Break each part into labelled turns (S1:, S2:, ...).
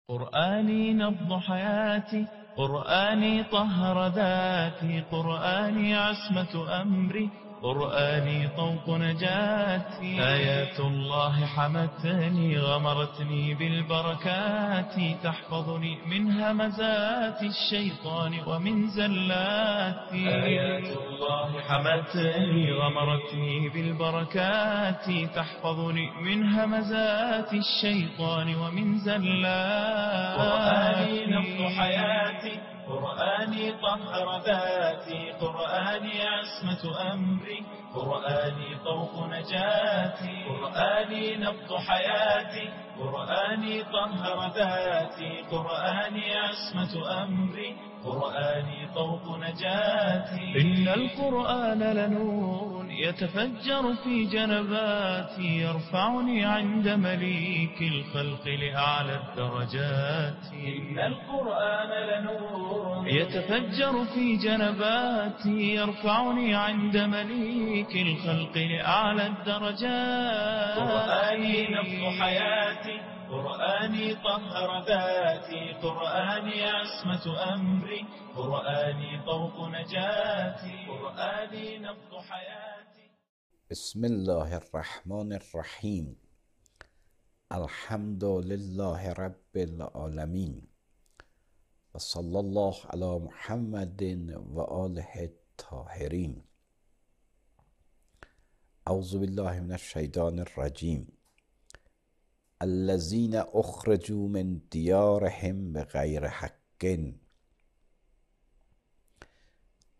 S1: قرآني نبض حياتي، قرآني طهر ذاتي، قرآني عصمة أمري، قرآني طوق نجاتي. آيات الله حمتني غمرتني بالبركات، تحفظني من همزات الشيطان ومن زلاتي. آيات الله حمتني غمرتني بالبركات، تحفظني من همزات الشيطان ومن زلاتي. قرآني نبض حياتي، قرآني طهر ذاتي، قرآني عصمة أمري، قرآني طوق نجاتي. قرآني نبض حياتي، قرآني طهر ذاتي، قرآني عصمة أمري، قرآني طوق نجاتي. إن القرآن لنور يتفجر في جنباتي، يرفعني عند مليك الخلق لأعلى الدرجات. إن القرآن لنور يتفجر في جنباتي، يرفعني عند مليك الخلق لأعلى الدرجات. قرآني نبض حياتي، قرآني طهر ذاتي، قرآني عصمة أمري، قرآني طوق نجاتي. قرآني نبض حياتي.
S2: بسم الله الرحمن الرحیم. الحمد لله رب العالمین و صلی الله علی محمد و آله الطاهرین. اعوذ بالله من الشیطان الرجیم. الذين اخرجوا من دیارهم بغیر حق.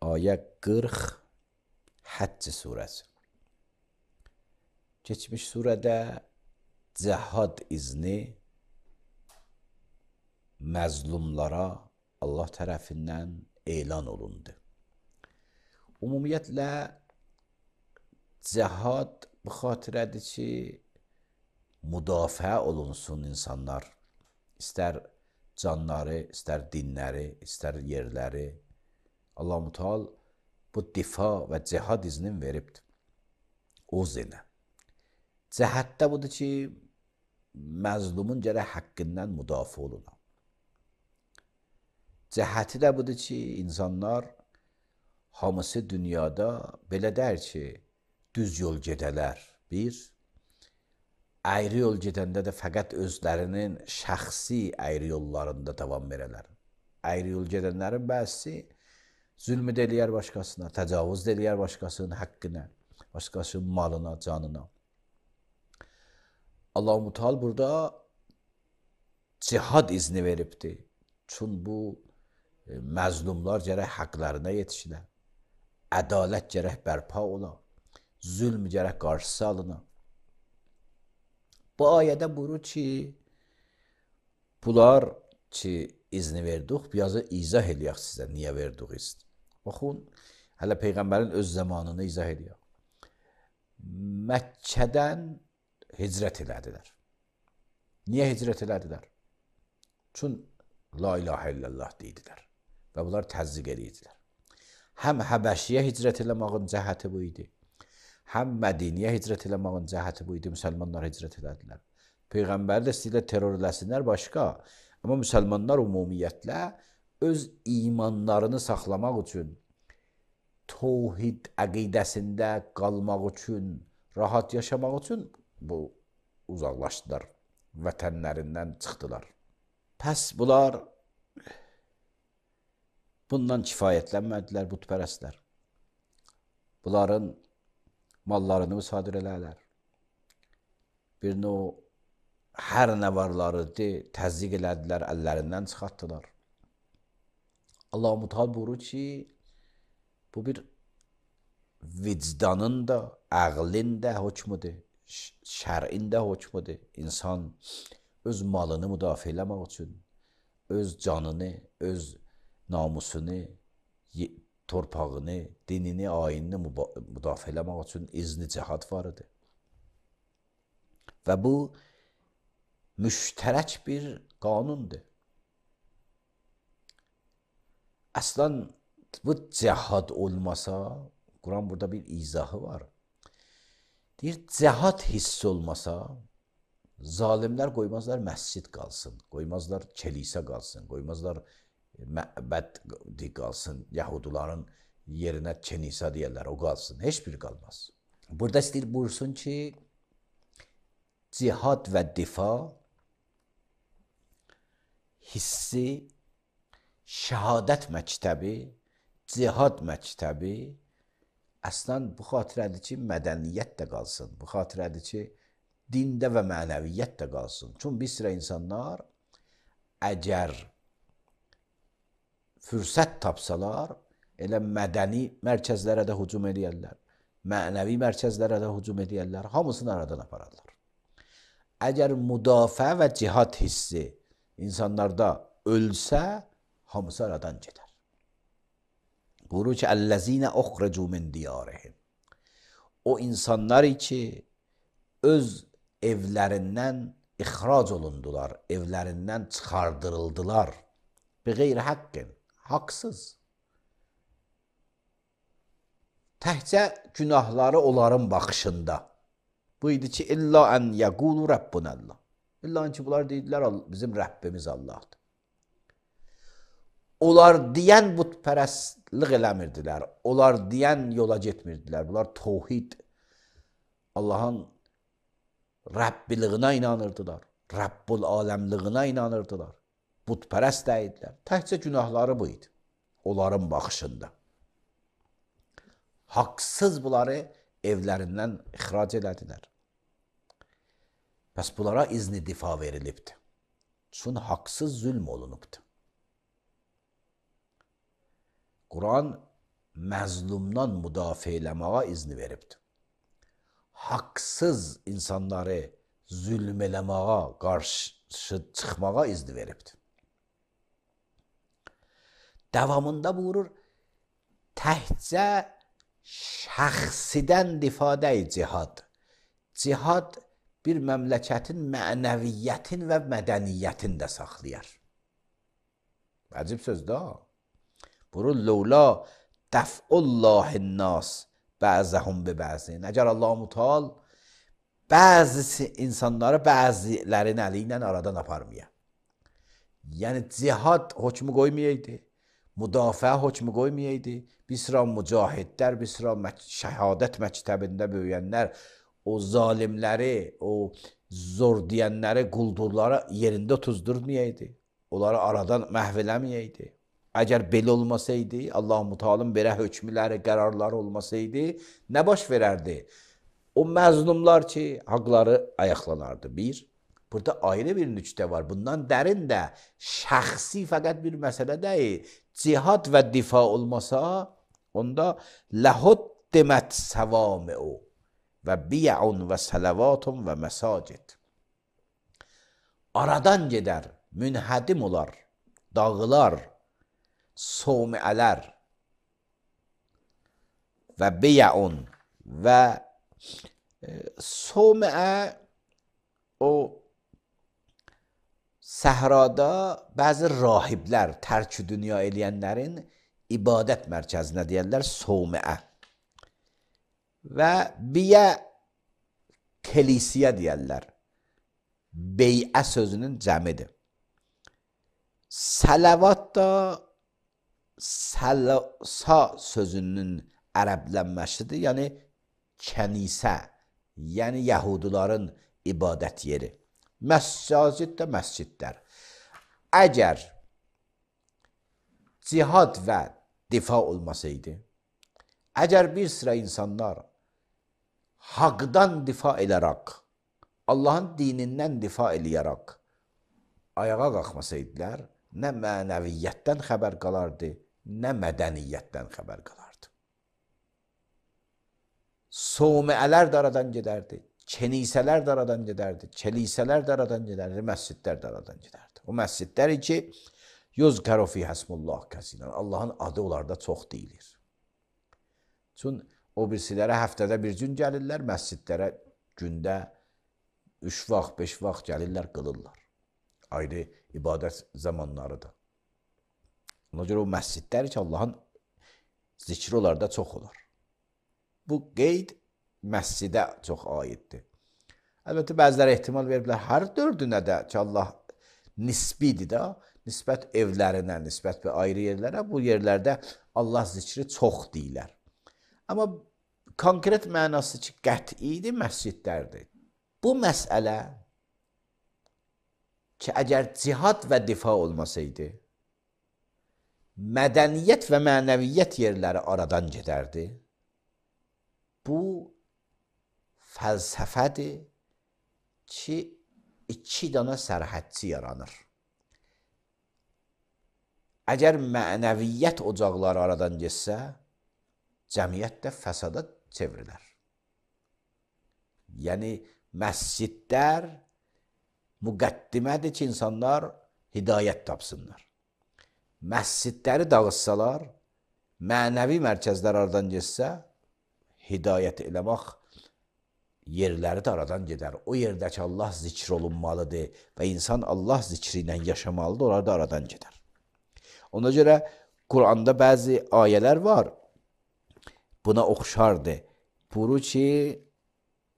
S2: Ayet 40 Həcc surəsi. Keçmiş surədə cihad izni məzlumlara Allah tərəfindən elan olundu. Ümumiyyətlə cihad bu xatirədir ki, müdafiə olunsun insanlar. İstər canları, istər dinləri, istər yerləri. Allah-u Teala bu difa və cihad iznin veribdir. O zinə. Cəhətdə budur ki, məzlumun gərək haqqından müdafiə oluna. Cəhəti də budur ki, insanlar hamısı dünyada belə deyir ki, düz yol gedələr. Bir, ayrı yol gedəndə də fəqət özlərinin şəxsi ayrı yollarında davam verələr. Ayrı yol gedənlərin bəzisi zülm eləyər başqasına, təcavüz eləyər başqasının haqqına, başqasının malına, canına. Allah-u Teala burada cihad izni veribdir. Çün bu məzlumlar gərək haqlarına yetişilər. Ədalət gərək bərpa ola. Zülm gərək qarşısı alına. Bu ayədə buyurur ki, bunlar ki izni verdik, biraz izah eləyək sizə, niyə verdik izni. Baxın, hələ Peyğəmbərin öz zamanını izah eləyək. Məkkədən hicrət elədilər. Niyə hicrət elədilər? Çün la ilahə illallah deyidilər və bunlar təzdiq edirdilər. Həm Həbəşiyə hicrət eləmağın cəhəti bu idi, həm Mədiniyə hicrət eləmağın cəhəti bu idi, müsəlmanlar hicrət elədilər. Peyğəmbəri də istəyirlər terror eləsinlər başqa, amma müsəlmanlar ümumiyyətlə öz imanlarını saxlamaq üçün, təvhid əqidəsində qalmaq üçün, rahat yaşamaq üçün bu uzaqlaşdılar, vətənlərindən çıxdılar. Pəs bunlar bundan kifayətlənmədilər bütpərəstlər. Bunların mallarını müsadir elərlər. Bir növ hər nə varlarıdır, təzdiq elədilər, əllərindən çıxartdılar. Allah-u Teala buyurur ki, bu bir vicdanın da, əqlin də hökmüdür, şərin də hökmüdür. İnsan öz malını müdafiə eləmək üçün, öz canını, öz namusunu, torpağını, dinini, ayinini müdafiə eləmək üçün izni cihad var idi. Və bu müştərək bir qanundur. Əslən bu cihad olmasa, Quran burada bir izahı var. Deyir, cihad hissi olmasa, Zalimlər qoymazlar məscid qalsın, qoymazlar kilisə qalsın, qoymazlar məbəd qalsın, Yahudilərin yerinə kilisə deyirlər, o qalsın, heç bir qalmaz. Burada istəyir buyursun ki, cihad və difa hissi, şəhadət məktəbi, cihad məktəbi əslən bu xatirədir ki, mədəniyyət də qalsın, bu xatirədir ki, dində və mənəviyyət də qalsın. Çünki bir sıra insanlar əgər fürsət tapsalar, elə mədəni mərkəzlərə də hücum edərlər, mənəvi mərkəzlərə də hücum edərlər, hamısını aradan apararlar. Əgər müdafiə və cihad hissi insanlarda ölsə, hamısı aradan gedər. Buyurur ki, "Ellezine ukhricu min diyarihim." O insanlar ki, öz evlərindən ixrac olundular, evlərindən çıxardırıldılar. Biqeyri haqqin, haqsız. Təhcə günahları onların baxışında. Bu idi ki, illa ən yəqulu Rabbunəllah. İlla ki, bunlar deyidilər, bizim Rəbbimiz Allahdır. Onlar deyən bütpərəstlik eləmirdilər, onlar deyən yola getmirdilər. Bunlar tövhid, Allahın Rəbbiliyinə inanırdılar, Rəbbul aləmliyinə inanırdılar. Bütpərəst deyidilər. Təhcə günahları bu idi, onların baxışında. Haqsız bunları evlərindən ixrac elədilər. Bəs bunlara izni difa verilibdir. Çünki haqsız zülm olunubdur. Quran məzlumdan müdafiə eləməyə izni veribdir. Haqsız insanları zülm eləməyə, qarşı çıxmağa izni veribdir. Davamında buyurur, təhcə şəxsidən difa deyil cihad. Cihad bir məmləkətin mənəviyyətin və mədəniyyətin də saxlayar. Əcib sözdür ha. Buyurur, "Lawla dəf'ullahin-nas bəzəhum bi bəzin." Əgər Allah-u Teala bəzi insanları bəzilərin əli ilə aradan aparmaya. Yəni cihad hökmü qoymayaydı, müdafiə hökmü qoymayaydı. Bir sıra mücahidlər, bir sıra şəhadət məktəbində böyüyənlər o zalimləri, o zor deyənləri, quldurları yerində tuzdurmayaydı. Onları aradan məhv eləməyəydi. Əgər belə olmasaydı, Allah-u Teala'nın belə hökmləri, qərarları olmasaydı, nə baş verərdi? O məzlumlar ki, haqları ayaqlanardı. Bir, burada ayrı bir nüktə var. Bundan dərin də şəxsi fəqət bir məsələ deyil. Cihad və difa olmasa, onda ləhud demət səvami'u və biya'un və sələvatun və məsacid. Aradan gedər, münhədim olar, dağılar, somiələr və biya'un və somiə o səhrada bəzi rahiblər, tərk-ü dünya eləyənlərin ibadət mərkəzinə deyərlər somiə. Və biyə kilisiyə deyərlər. Bey'ə sözünün cəmidir. Salavat da sa sözünün ərəblənməsidir. Yəni kənisə, yəni Yahudilərin ibadət yeri. Məsacid də məscidlər. Əgər cihad və difa olmasaydı, əgər bir sıra insanlar haqdan difa edərək, Allahın dinindən difa eləyərək ayağa qalxmasaydılar, nə mənəviyyətdən xəbər qalardı, nə mədəniyyətdən xəbər qalardı. Somiələr də aradan gedərdi, kenisələr də aradan gedərdi, kelisələr də aradan gedərdi, məscidlər də aradan gedərdi. O məscidlər ki, yuzkaru fi hasmullah kəsirən, Allahın adı onlarda çox deyilir. Çünki o birisilərə həftədə bir gün gəlirlər, məscidlərə gündə 3 vaxt, 5 vaxt gəlirlər, qılırlar. Ayrı ibadət zamanlarıdır. Ona görə o məscidlər ki, Allahın zikri onlarda çox olar. Bu qeyd məscidə çox aiddir. Əlbəttə, bəziləri ehtimal veriblər, hər dördünə də ki, Allah nisbidir də, nisbət evlərinə, nisbət bir ayrı yerlərə, bu yerlərdə Allah zikri çox deyilər. Amma konkret mənası ki, qətidir, məscidlərdir. Bu məsələ ki, əgər cihad və difa olmasaydı, mədəniyyət və mənəviyyət yerləri aradan gedərdi. Bu fəlsəfədir ki, 2 dana sərhədçi yaranır. Əgər mənəviyyət ocaqları aradan getsə, cəmiyyət də fəsada çevrilər. Yəni, məscidlər müqəddimədir ki, insanlar hidayət tapsınlar. Məscidləri dağıtsalar, mənəvi mərkəzlər aradan getsə, hidayət eləmək yerləri də aradan gedər. O yerdəki Allah zikr olunmalıdır və insan Allah zikri ilə yaşamalıdır, onlar da aradan gedər. Ona görə Quranda bəzi ayələr var, buna oxşardır. Buyurur ki,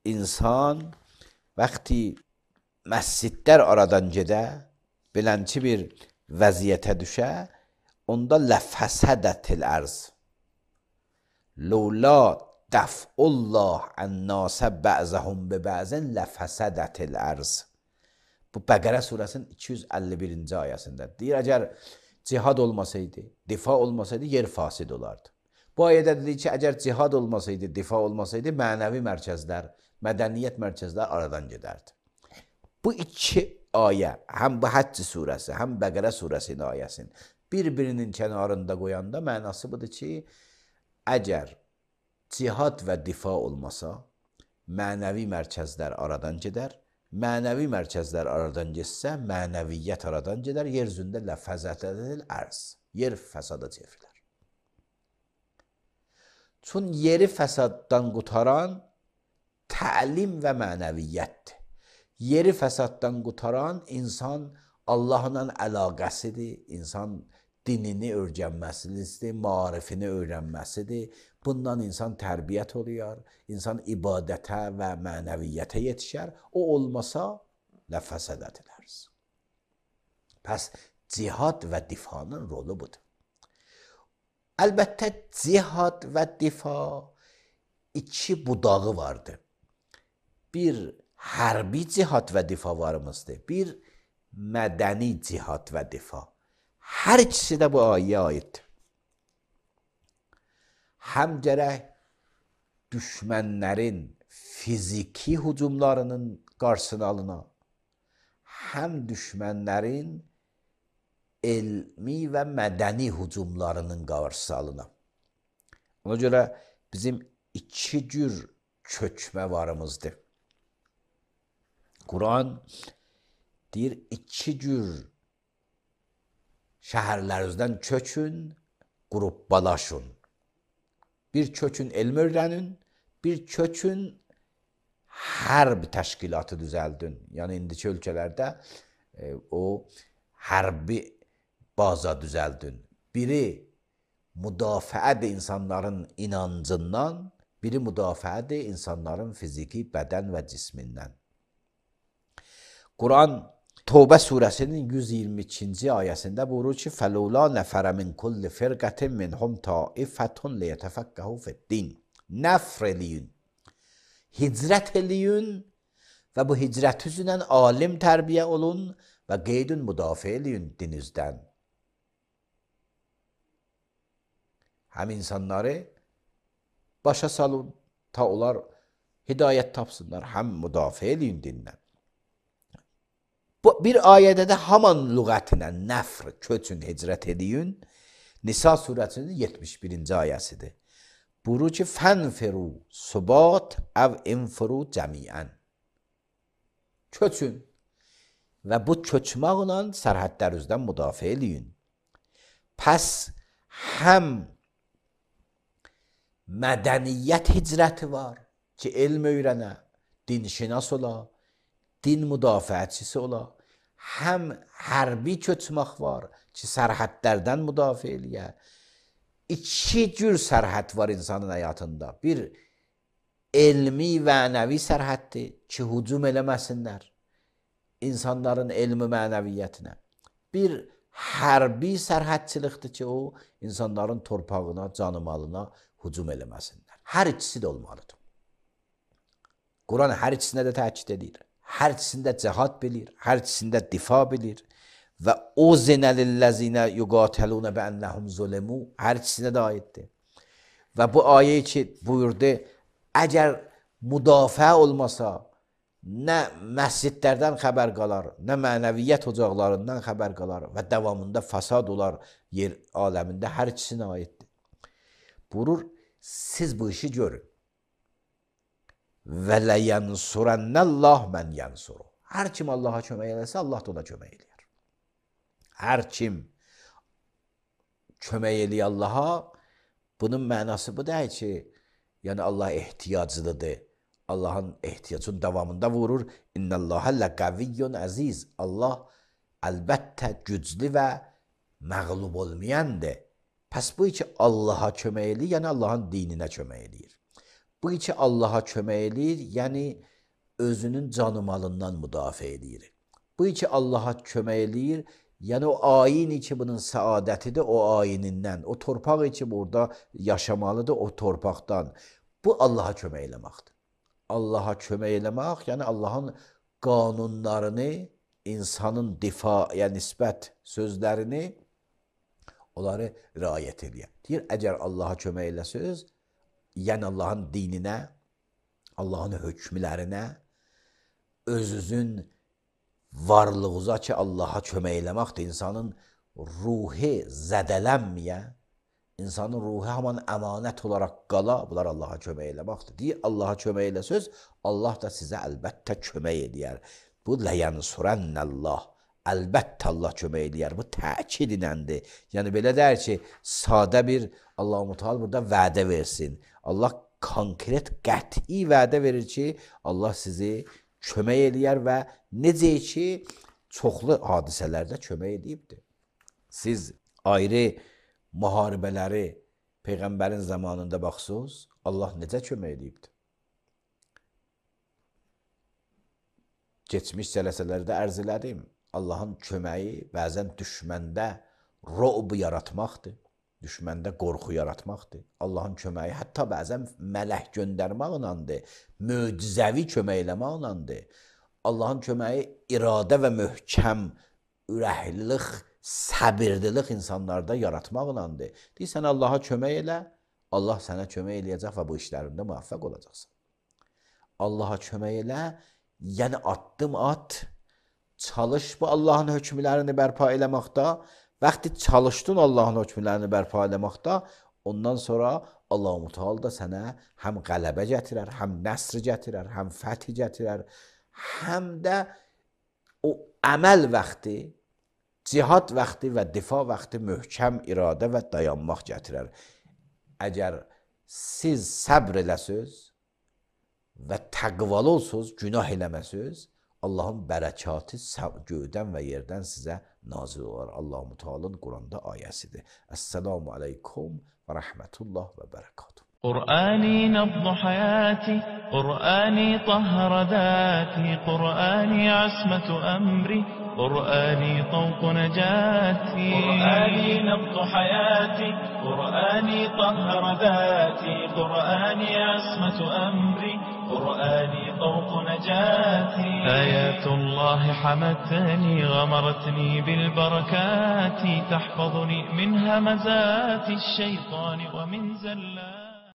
S2: insan vaxtı məscidlər aradan gedə, belənçi bir vəziyyətə düşə, onda ləfəsədətil ərz. Lawla dəf'ullah ən-nasə bə'zəhum bi-bə'zin ləfəsədətil ərz. Bu Bəqərə surəsinin 251-ci ayəsində. Deyir, əgər cihad olmasaydı, difa olmasaydı, yer fasid olardı. Bu ayədə dedi ki, əgər cihad olmasaydı, difa olmasaydı, mənəvi mərkəzlər, mədəniyyət mərkəzlər aradan gedərdi. Bu 2 ayə, həm bu Həcc surəsi, həm Bəqərə surəsinin ayəsinin bir-birinin kənarında qoyanda mənası budur ki, əgər cihad və difa olmasa, mənəvi mərkəzlər aradan gedər, mənəvi mərkəzlər aradan getsə, mənəviyyət aradan gedər, yer üzündə ləfəzətədir ərz, yer fəsada çevrilər. Çün yeri fəsaddan qutaran təlim və mənəviyyətdir. Yeri fəsaddan qutaran insan Allahla əlaqəsidir, insan dinini öyrənməsidir, marifini öyrənməsidir. Bundan insan tərbiyyət oluyor, insan ibadətə və mənəviyyətə yetişər. O olmasa, ləfəsədədirlər. Pəs, cihad və difanın rolu budur. Əlbəttə, cihad və difa 2 budağı vardır. Bir, hərbi cihad və difa varımızdır. Bir, mədəni cihad və difa. Hər ikisi də bu ayəyə aiddir. Həm gərək düşmənlərin fiziki hücumlarının qarşısını alına, həm düşmənlərin elmi və mədəni hücumlarının qarşısı alına. Ona görə bizim 2 cür köçmə varımızdır. Quran deyir, 2 cür şəhərlərinizdən köçün, qrupbalaşın. Bir köçün elm öyrənin, bir köçün hərb təşkilatı düzəldin. Yəni, indiki ölkələrdə o hərbi baza düzəldin. Biri müdafiədir insanların inancından, biri müdafiədir insanların fiziki bədən və cismindən. Quran Tövbə surəsinin 122-ci ayəsində buyurur ki, فَلَوْلَا نَفَرَ مِنْ كُلِّ فِرْقَةٍ مِنْهُمْ طَائِفَةٌ لِيَتَفَقَّهُوا فِي الدِّينِ. Nəfr eləyin, hicrət eləyin və bu hicrət üzrə alim tərbiyə olun və qeydun müdafiə eləyin dinizdən. Həm insanları başa salın, ta onlar hidayət tapsınlar, həm müdafiə eləyin dindən. Bir ayədə də haman lüğətinə nəfr, köçün, hicrət eləyin, Nisa surəsinin 71-ci ayəsidir. Buyurur ki, fənfiru subat əv infiru cəmiən. Köçün və bu köçməklə sərhədlərinizdən müdafiə eləyin. Pəs həm mədəniyyət hicrəti var ki, elm öyrənə, dinşinas ola, din müdafiəçisi ola, həm hərbi köçmək var ki, sərhədlərdən müdafiə eləyə. 2 cür sərhəd var insanın həyatında. Bir, elmi mənəvi sərhəddir ki, hücum eləməsinlər insanların elmi mənəviyyətinə. Bir hərbi sərhədçilikdir ki, o insanların torpağına, canımalına hücum eləməsinlər. Hər ikisi də olmalıdır. Quran hər ikisində də təkid edir. Hər ikisində cihad bilir, hər ikisində difa bilir. Və o zinəlilləzinə yuqatelunə bəənnəhum zulemu hər ikisinə də aiddir. Və bu ayə ki, buyurdu, əgər müdafiə olmasa, nə məscidlərdən xəbər qalar, nə mənəviyyət ocaqlarından xəbər qalar və davamında fasad olar yer aləmində, hər ikisinə aiddir. Buyurur, siz bu işi görün. Və ləyənsurənnəllah mən yənsuru. Hər kim Allaha kömək eləsə, Allah da ona kömək eləyər. Hər kim kömək eləyir Allaha, bunun mənası bu deyil ki, yəni Allah ehtiyaclıdır. Allahın ehtiyacının davamında vurur. İnnəlləhə ləqəviyyun əziz. Allah əlbəttə güclü və məğlub olmayandır. Pəs bu ki Allaha kömək eləyir, yəni Allahın dininə kömək eləyir. Bu ki Allaha kömək eləyir, yəni özünün canımalından müdafiə eləyir. Bu ki Allaha kömək eləyir, yəni o ayin ki bunun səadətidir, o ayinindən, o torpaq ki burada yaşamalıdır, o torpaqdan. Bu Allaha kömək eləməkdir. Allaha kömək eləmək, yəni Allahın qanunlarını, insanın difaya nisbət sözlərini, onları riayət eləyər. Deyir, əgər Allaha kömək eləsəz, yəni Allahın dininə, Allahın hökmlərinə, özünüzün varlığınıza ki Allaha kömək eləməkdir, insanın ruhi zədələnməyə, insanın ruhu haman əmanət olaraq qala, bunlar Allaha kömək eləməkdir. Deyir, Allaha kömək eləsəz, Allah da sizə əlbəttə kömək eləyər. Bu ləyənsurənnəllah, əlbəttə Allah kömək eləyər. Bu təkid iləndir. Yəni belə deyir ki, sadə bir Allah-u Teala burada vədə versin. Allah konkret, qəti vədə verir ki, Allah sizi kömək eləyər və necə ki, çoxlu hadisələrdə kömək edibdir. Siz ayrı müharibələri Peyğəmbərin zamanında baxsınız, Allah necə kömək edibdir? Keçmiş cələsələrdə ərz elədim. Allahın köməyi bəzən düşməndə ro'b yaratmaqdır. Düşməndə qorxu yaratmaqdır. Allahın köməyi hətta bəzən mələk göndərməklədir. Möcüzəvi kömək eləməklədir. Allahın köməyi iradə və möhkəm ürəklilik, səbirlilik insanlarda yaratmaqlandır. Deyirsən, Allaha kömək elə, Allah sənə kömək eləyəcək və bu işlərində müvəffəq olacaqsan. Allaha kömək elə, yəni addım at, çalış bu Allahın hökmlərini bərpa eləməkdə, vaxtı çalışdın Allahın hökmlərini bərpa eləməkdə, ondan sonra Allah-u Teala da sənə həm qələbə gətirər, həm nəsr gətirər, həm fəth gətirər, həm də o əməl vaxtı, cihad vaxtı və difa vaxtı möhkəm iradə və dayanmaq gətirər. Əgər siz səbr eləsəz və təqvalı olsuz, günah eləməsəz, Allahın bərəkatı göydən və yerdən sizə nazil olar. Allah-u Teala'nın Quranda ayəsidir. Esselamu aleykum və rəhmətullah və bərəkatuhu.
S1: قرآني نبض حياتي قرآني طهر ذاتي قرآني عصمة أمري قرآني طوق نجاتي قرآني نبض حياتي قرآني طهر ذاتي قرآني عصمة أمري قرآني طوق نجاتي آيات الله حمتني غمرتني بالبركات تحفظني من همزات الشيطان ومن زلات